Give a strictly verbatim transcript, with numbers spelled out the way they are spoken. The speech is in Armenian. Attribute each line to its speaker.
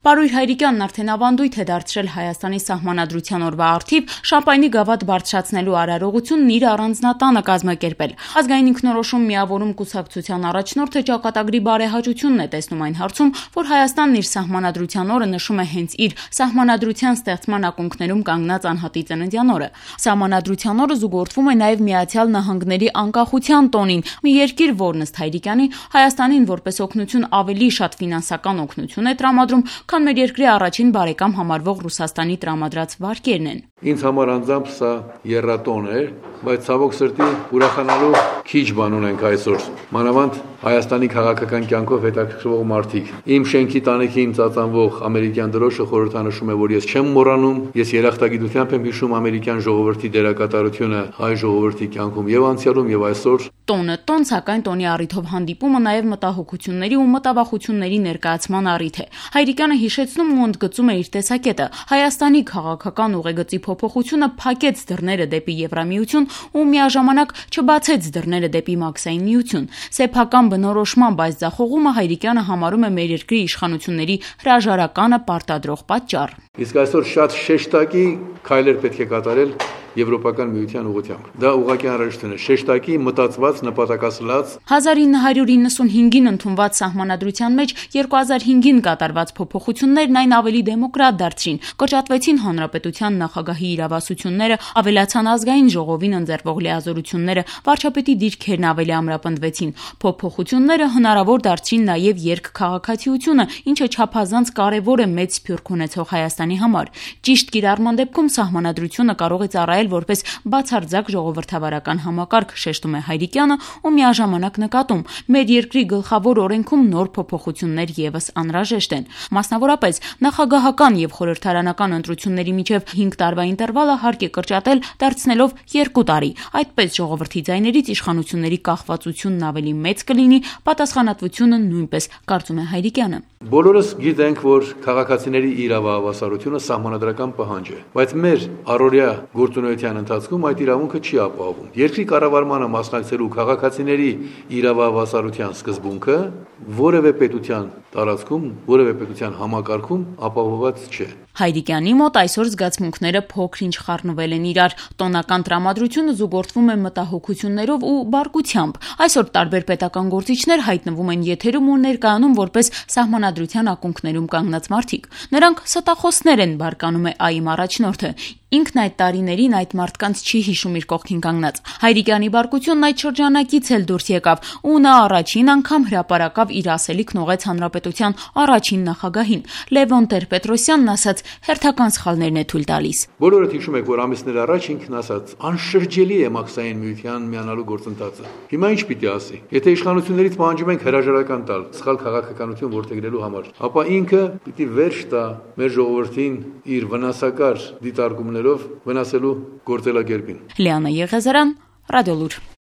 Speaker 1: Պարույր Հայրիկյանն արդեն ավանդույթ է դարձրել Հայաստանի Սահմանադրության օրվա առթիվ շամպայնի գավաթ բարձրացնելու արարողությունն իր առանձնատանը կազմակերպել։ Ազգային ինքնորոշում միավորում կուսակցության առաջնորդը ճակատագրի բարեհաճությունն է տեսնում այն հարցում, որ Հայաստանն իր Սահմանադրության օրը նշում է հենց իր Սահմանադրության ստեղծման ակունքներում կանգնած անհատի ծննդյան օրը։ Սահմանադրության օրը զուգորդվում է նաև Միացյալ Նահանգների անկախության տոնին, մի երկիր, որն ըստ Հայրիկյանի Հայաստանին որպես օգնություն ավելի շատ ֆինանսական օգնություն է տրամադրում, քան մեր երկրի առաջին բարեկամ համարվող Ռուսաստանի տրամադրած վարկերն են։
Speaker 2: Ինձ համար անձամբ սա եռատոն էր, բայց ցավոք սրտի ուրախանալու քիչ բան ունենք այսօր։ Մանավանդ Հայաստանի քաղաքական կյանքով հետաքրքրվող մարդիկ։ Իմ շենքի տանիքին ծածանվող ամերիկյան դրոշը խորհրդանշում է, որ ես չեմ մոռանում, ես երախտագիտությամբ եմ հիշում ամերիկյան ժողովրդի դերակատարությունը հայ ժողովրդի կյանքում եւ անցյալում եւ այսօր։
Speaker 1: Տոնը տոն, սակայն տոնի առիթով հանդիպումը նաև մտահոգությունների ու մտավախությունների ներկայացման առիթ է։ Հայրիկյանը հիշեցնում ու ընդգծում է իր տեսակետը։ Հայաստանի քաղաքական ուղեգծի փոփոխությունը փակեց դռները դեպի Եվրամիություն ու միաժամանակ չբացեց դռները դեպի Մաքսային միություն։ Սեփական բնորոշմամբ այս ձախողումը Հայրիկյանը համարում է մեր երկրի իշխանությունների հրաժարականը պարտադրող պատճառ։
Speaker 2: Իսկ այսօր շատ շեշտակի քայլեր պետք է կատարել Եվրոպական միության ուղղությամբ։ Դա ուղղակի անհրաժեշտ է, շեշտակի, մտածված, նպատակասլաց։
Speaker 1: հազար ինը հարյուր իննսունհինգին ընդունված Սահմանադրության մեջ երկու հազար հինգին կատարված փոփոխություններն այն ավելի դեմոկրատ դարձրին, կրճատվեցին հանրապետության նախագահի իրավասությունները, ավելացան ազգային ժողովին ընձեռվող լիազորությունները, վարչապետի դիրքերն ավելի ամրապնդվեցին։ Փոփոխությունները հնարավոր դարձրին նաև երկքաղաքացիությունը, ինչը չափազանց կարևոր է մեծ սփյուռք ունեցող Հայաստանի համար։ Ճիշտ կիրառման դեպքում Սահմանադրությունը կարող է ծառայել որպես բացարձակ ժողովրդավարական համակարգ, շեշտում է Հայրիկյանը ու միաժամանակ նկատում. մեր երկրի գլխավոր օրենքում նոր փոփոխություններ եւս անհրաժեշտ են։ Մասնավորապես նախագահական եւ խորհրդարանական ընտրությունների միջև հինգ տարվա ինտերվալը հարկ է կրճատել, դարձնելով երկու տարի։ Այդպես ժողովրդի ձայներից իշխանությունների կախվածությունն ավելի մեծ կլինի, պատասխանատվությունը նույնպես, կարծում է Հայրիկյանը։
Speaker 2: Բոլորս գիտենք, որ քաղաքացիների իրավահավասարությունը սահմանադրական պահանջ է, բայց մեր առօրյա գործունեության ընթացքում այդ իրավունքը չի ապահովում։ Երկրի կառավարմանը մասնակցելու քաղաքացիների իրավահավասարության սկզբունքը որևէ պետության տարածքում, որևէ պետության համակարգում ապահովված չէ։
Speaker 1: Հայրիկյանի մոտ այսօր զգացմունքները փոքր-ինչ խառնվել են իրար։ Տոնական տրամադրությունը զուգորդվում է մտահոգություններով ու բարկությամբ։ Այսօր տարբեր պետական գործիչներ հայտնվում են եթերում ու ներկայանում որպես Սահմանադրության ակունքներում կանգնած մարդիկ։ Նրանք ստախոսներ են, բարկանում է ԱԻՄ առաջնորդը։ Ինքն այդ տարիներին այդ մարդկանց չի հիշում իր կողքին կանգնած։ Հայրիկյանի բարկությունն այդ շրջանակից էլ դուրս եկավ, ու նա առաջին անգամ հրապարակավ իր ասելիքն ուղղեց հանրապետության առաջին նախագահին։ Լևոն Տեր-Պետրոսյանն ասաց, հերթական սխալներն է թույլ տալիս։
Speaker 2: Բոլորդ հիշում եք, որ ամիսներ առաջ ինքն ասաց, անշրջելի է Մաքսային միության միանալու գործընթացը։ Հիմա ինչ պիտի ասի։ Եթե իշխանություններից պահանջում ենք հրաժարական տալ, սխալ քաղաքականություն որդեգրելու համար, ապա ինքը պիտի վերջ տա մեր ժողովրդին իր վնասակար դիտարկումներով վնասելու գործելակերպին։
Speaker 1: Լիանա Եղեզարյան, Ռադիոլուր։